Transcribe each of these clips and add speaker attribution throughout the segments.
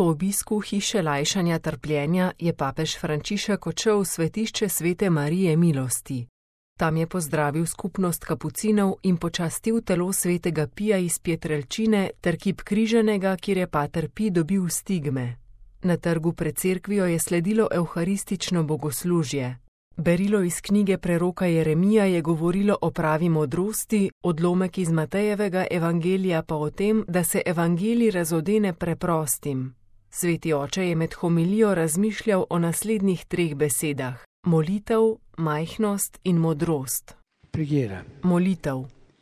Speaker 1: Po obisku hiše lajšanja trpljenja je papež Frančišek odšel v svetišče Svete Marije milosti. Tam je pozdravil skupnost kapucinov in počastil telo svetega Pija iz Pietrelcine ter kip križanega, kjer je pater Pi dobil stigme. Na trgu pred cerkvijo je sledilo evharistično bogoslužje. Berilo iz knjige preroka Jeremija je govorilo o pravi modrosti, odlomek iz Matejevega evangelija pa o tem, da se evangelij razodene preprostim. Sveti oče je med homilijo razmišljal o naslednjih 3 besedah: molitev, majhnost in modrost.
Speaker 2: Preghiera.
Speaker 1: Molitev.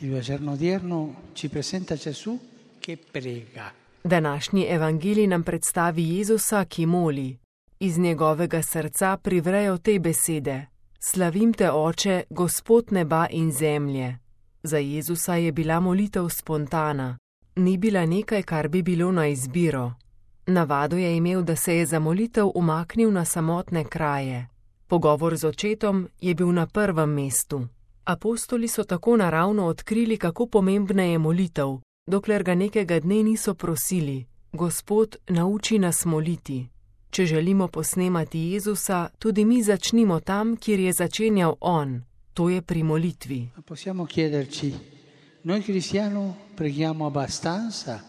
Speaker 2: Il Vangelo odierno ci presenta Gesù che prega.
Speaker 1: Današnji evangelij nam predstavi Jezusa, ki moli. Iz njegovega srca privrejo te besede: Slavim te, Oče, Gospod neba in zemlje. Za Jezusa je bila molitev spontana. Ni bila nekaj, kar bi bilo na izbiro. Navado je imel, da se je za molitev umaknil na samotne kraje. Pogovor z očetom je bil na prvem mestu. Apostoli so tako naravno odkrili, kako pomembna je molitev, dokler ga nekega dne niso prosili: Gospod, nauči nas moliti. Če želimo posnemati Jezusa, tudi mi začnimo tam, kjer je začenjal on, to je pri molitvi.
Speaker 2: Possiamo chiederci: noi cristiani preghiamo abbastanza?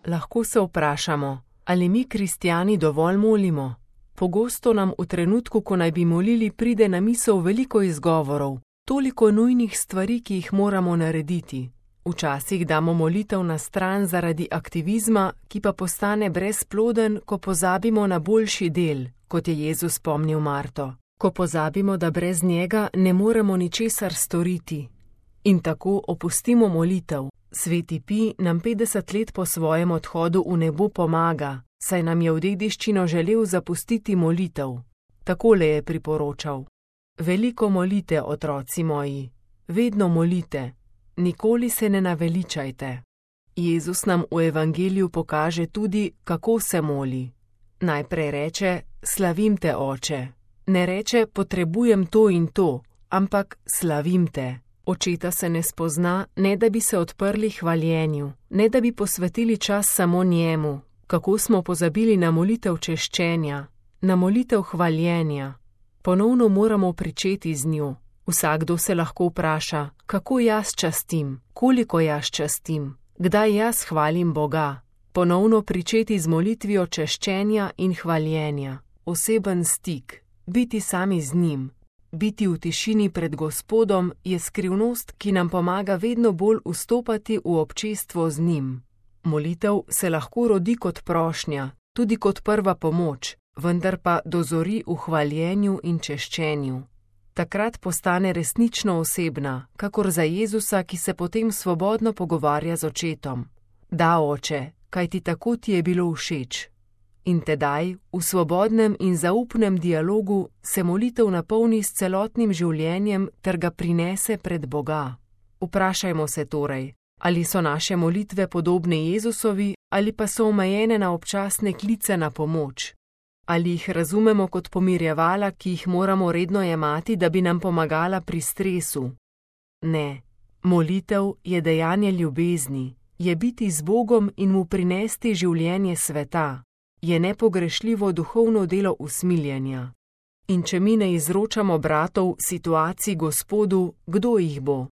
Speaker 1: Lahko se vprašamo, ali mi kristjani dovolj molimo? Pogosto nam v trenutku, ko naj bi molili, pride na misel veliko izgovorov, toliko nujnih stvari, ki jih moramo narediti. Včasih damo molitev na stran zaradi aktivizma, ki pa postane brezploden, ko pozabimo na boljši del, kot je Jezus spomnil Marto. Ko pozabimo, da brez njega ne moremo ničesar storiti. In tako opustimo molitev. Sveti Pi nam 50 let po svojem odhodu v nebo pomaga, saj nam je v dediščino želel zapustiti molitev. Takole je priporočal: veliko molite, otroci moji, vedno molite. Nikoli se ne naveličajte. Jezus nam v evangeliju pokaže tudi, kako se moli. Najprej reče: slavim te, Oče. Ne reče: potrebujem to in to, ampak slavim te. Očeta se ne spozna, ne da bi se odprli hvaljenju, ne da bi posvetili čas samo njemu. Kako smo pozabili na molitev češčenja, na molitev hvaljenja. Ponovno moramo pričeti z njo. Vsakdo se lahko vpraša, kako jaz častim, koliko jaz častim, kdaj jaz hvalim Boga. Ponovno pričeti z molitvijo češčenja in hvaljenja, oseben stik, biti sami z njim, biti v tišini pred Gospodom je skrivnost, ki nam pomaga vedno bolj vstopati v občestvo z njim. Molitev se lahko rodi kot prošnja, tudi kot prva pomoč, vendar pa dozori v hvaljenju in češčenju. Takrat postane resnično osebna, kakor za Jezusa, ki se potem svobodno pogovarja z očetom. Da, Oče, kajti tako ti je bilo všeč. In tedaj, v svobodnem in zaupnem dialogu, se molitev napolni s celotnim življenjem ter ga prinese pred Boga. Vprašajmo se torej, ali so naše molitve podobne Jezusovi ali pa so omejene na občasne klice na pomoč. Ali jih razumemo kot pomirjevala, ki jih moramo redno jemati, da bi nam pomagala pri stresu? Ne, molitev je dejanje ljubezni, je biti z Bogom in mu prinesti življenje sveta, je nepogrešljivo duhovno delo usmiljenja. In če mi ne izročamo bratov situacij Gospodu, kdo jih bo?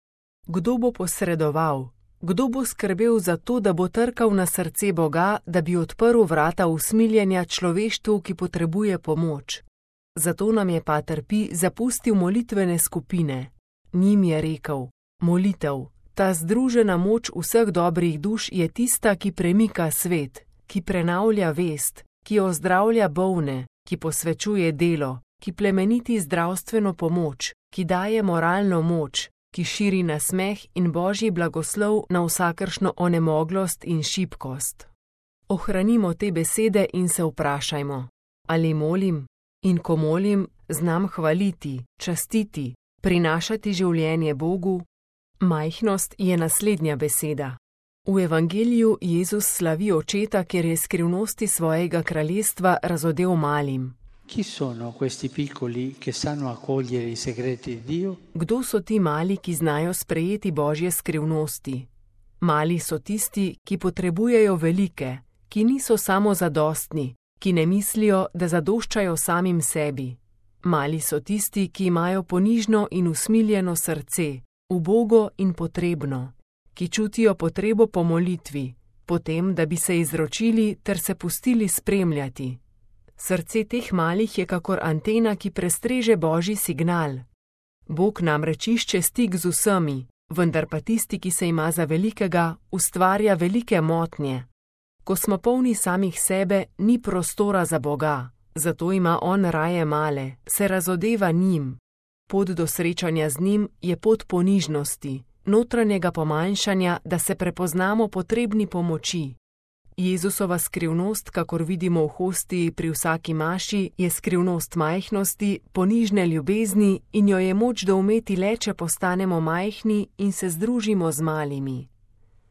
Speaker 1: Kdo bo posredoval? Kdo bo skrbel za to, da bo trkal na srce Boga, da bi odprl vrata usmiljenja človeštvu, ki potrebuje pomoč? Zato nam je pater Pi zapustil molitvene skupine. Njim je rekel: molitev, ta združena moč vseh dobrih duš je tista, ki premika svet, ki prenavlja vest, ki ozdravlja bolne, ki posvečuje delo, ki plemeniti zdravstveno pomoč, ki daje moralno moč, ki širi nasmeh in Božji blagoslov na vsakršno onemoglost in šibkost. Ohranimo te besede in se vprašajmo: ali molim? In ko molim, znam hvaliti, častiti, prinašati življenje Bogu? Majhnost je naslednja beseda. V evangeliju Jezus slavi očeta, ker je skrivnosti svojega kraljestva razodel malim.
Speaker 2: Chi sono questi piccoli che sanno accogliere i segreti di Dio?
Speaker 1: Kdo so ti mali, ki znajo sprejeti Božje skrivnosti? Mali so tisti, ki potrebujejo velike, ki niso samozadostni, ki ne mislijo, da zadoščajo samim sebi. Mali so tisti, ki imajo ponižno in usmiljeno srce, ubogo in potrebno, ki čutijo potrebo po molitvi, potem, da bi se izročili ter se pustili spremljati. Srce teh malih je kakor antena, ki prestreže Božji signal. Bog namreč išče stik z vsemi, vendar pa tisti, ki se ima za velikega, ustvarja velike motnje. Ko smo polni samih sebe, ni prostora za Boga, zato ima on raje male, se razodeva njim. Pot do srečanja z njim je pot ponižnosti, notranjega pomanjšanja, da se prepoznamo potrebni pomoči. Jezusova skrivnost, kakor vidimo v hostiji pri vsaki maši, je skrivnost majhnosti, ponižne ljubezni in jo je moč doumeti le, če postanemo majhni in se združimo z malimi.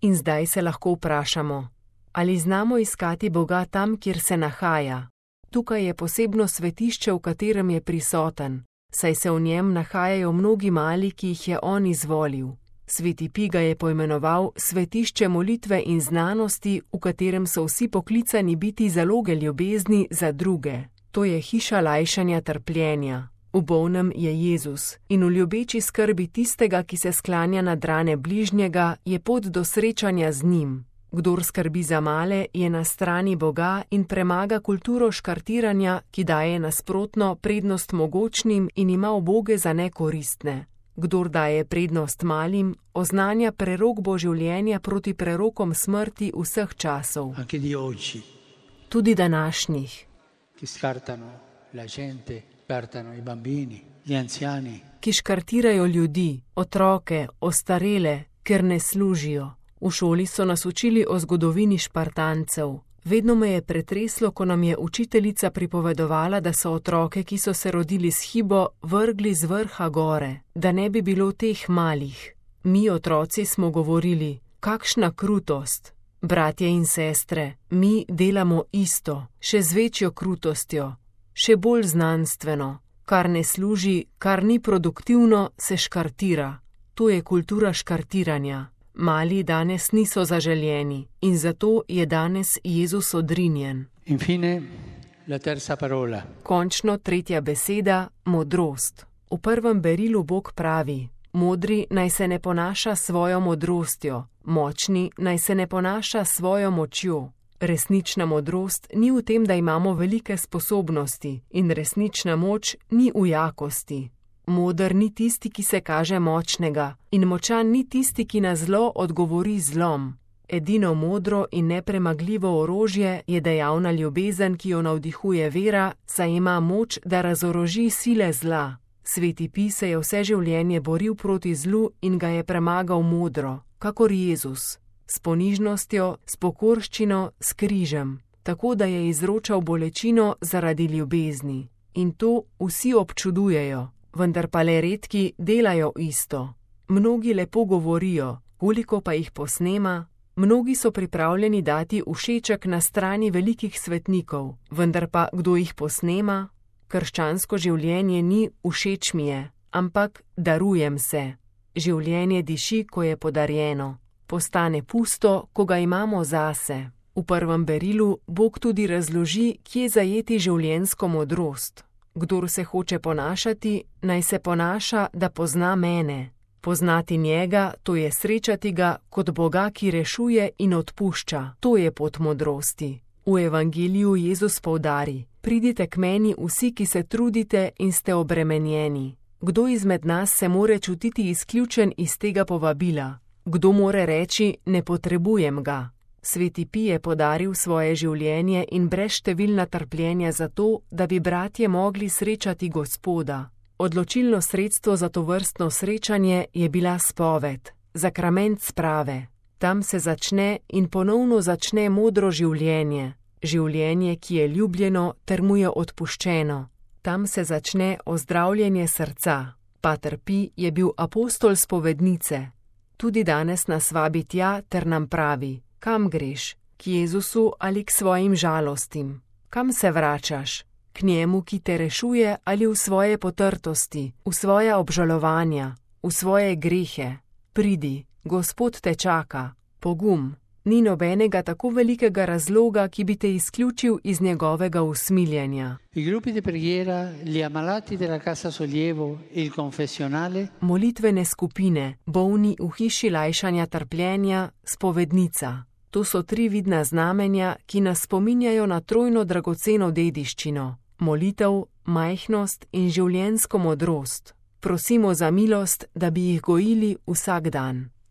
Speaker 1: In zdaj se lahko vprašamo, ali znamo iskati Boga tam, kjer se nahaja? Tukaj je posebno svetišče, v katerem je prisoten, saj se v njem nahajajo mnogi mali, ki jih je on izvolil. Sveti Pij ga je poimenoval svetišče molitve in znanosti, v katerem so vsi poklicani biti zaloge ljubezni za druge. To je hiša lajšanja trpljenja. V bolnem je Jezus in v ljubeči skrbi tistega, ki se sklanja nad rane bližnjega, je pot do srečanja z njim. Kdor skrbi za male, je na strani Boga in premaga kulturo škartiranja, ki daje nasprotno prednost mogočnim in ima uboge za nekoristne. Kdor daje prednost malim, oznanja prerokbo življenja proti prerokom smrti vseh časov. Tudi današnjih. Ki škartirajo ljudi, otroke, ostarele, ker ne služijo. V šoli so nas učili o zgodovini Špartancev. Vedno me je pretreslo, ko nam je učiteljica pripovedovala, da so otroke, ki so se rodili s hibo, vrgli z vrha gore, da ne bi bilo teh malih. Mi, otroci, smo govorili, kakšna krutost. Bratje in sestre, mi delamo isto, še z večjo krutostjo, še bolj znanstveno. Kar ne služi, kar ni produktivno, se škartira. To je kultura škartiranja. Mali danes niso zaželjeni in zato je danes Jezus odrinjen.
Speaker 2: Infine, la terza parola.
Speaker 1: Končno tretja beseda, modrost. V prvem berilu Bog pravi, modri naj se ne ponaša svojo modrostjo, močni naj se ne ponaša svojo močjo. Resnična modrost ni v tem, da imamo velike sposobnosti, in resnična moč ni v jakosti. Moder ni tisti, ki se kaže močnega, in močan ni tisti, ki na zlo odgovori zlom. Edino modro in nepremagljivo orožje je dejavna ljubezen, ki jo navdihuje vera, saj ima moč, da razoroži sile zla. Sveti Pij se je vse življenje boril proti zlu in ga je premagal modro, kakor Jezus, s ponižnostjo, s pokorščino, s križem, tako da je izročal bolečino zaradi ljubezni. In to vsi občudujejo. Vendar pa le redki delajo isto. Mnogi lepo govorijo, koliko pa jih posnema. Mnogi so pripravljeni dati všeček na strani velikih svetnikov, vendar pa kdo jih posnema? Krščansko življenje ni všeč mi je, ampak darujem se. Življenje diši, ko je podarjeno. Postane pusto, ko ga imamo zase. V prvem berilu Bog tudi razloži, kje zajeti življenjsko modrost. Kdor se hoče ponašati, naj se ponaša, da pozna mene. Poznati njega, to je srečati ga kot Boga, ki rešuje in odpušča. To je pot modrosti. V evangeliju Jezus poudari, pridite k meni vsi, ki se trudite in ste obremenjeni. Kdo izmed nas se more čutiti izključen iz tega povabila? Kdo more reči, ne potrebujem ga? Sveti Pij je podaril svoje življenje in brezštevilna trpljenja zato, da bi bratje mogli srečati Gospoda. Odločilno sredstvo za tovrstno srečanje je bila spoved, sakrament sprave. Tam se začne in ponovno začne modro življenje, življenje, ki je ljubljeno ter mu je odpuščeno. Tam se začne ozdravljenje srca. Pater Pij je bil apostol spovednice. Tudi danes nas vabi tja ter nam pravi, kam greš, k Jezusu ali k svojim žalostim? Kam se vračaš? K njemu, ki te rešuje, ali v svoje potrtosti, v svoja obžalovanja, v svoje grehe? Pridi, Gospod te čaka. Pogum, Ni nobenega tako velikega razloga, ki bi te izključil iz njegovega usmiljenja.
Speaker 2: I gruppi di preghiera, gli ammalati della casa sollievo e il confessionale,
Speaker 1: Molitvene skupine, bolni v hiši lajšanja trpljenja, spovednica. To so 3 vidna znamenja, ki nas spominjajo na trojno dragoceno dediščino: molitev, majhnost in življenjsko modrost. Prosimo za milost, da bi jih gojili vsak dan.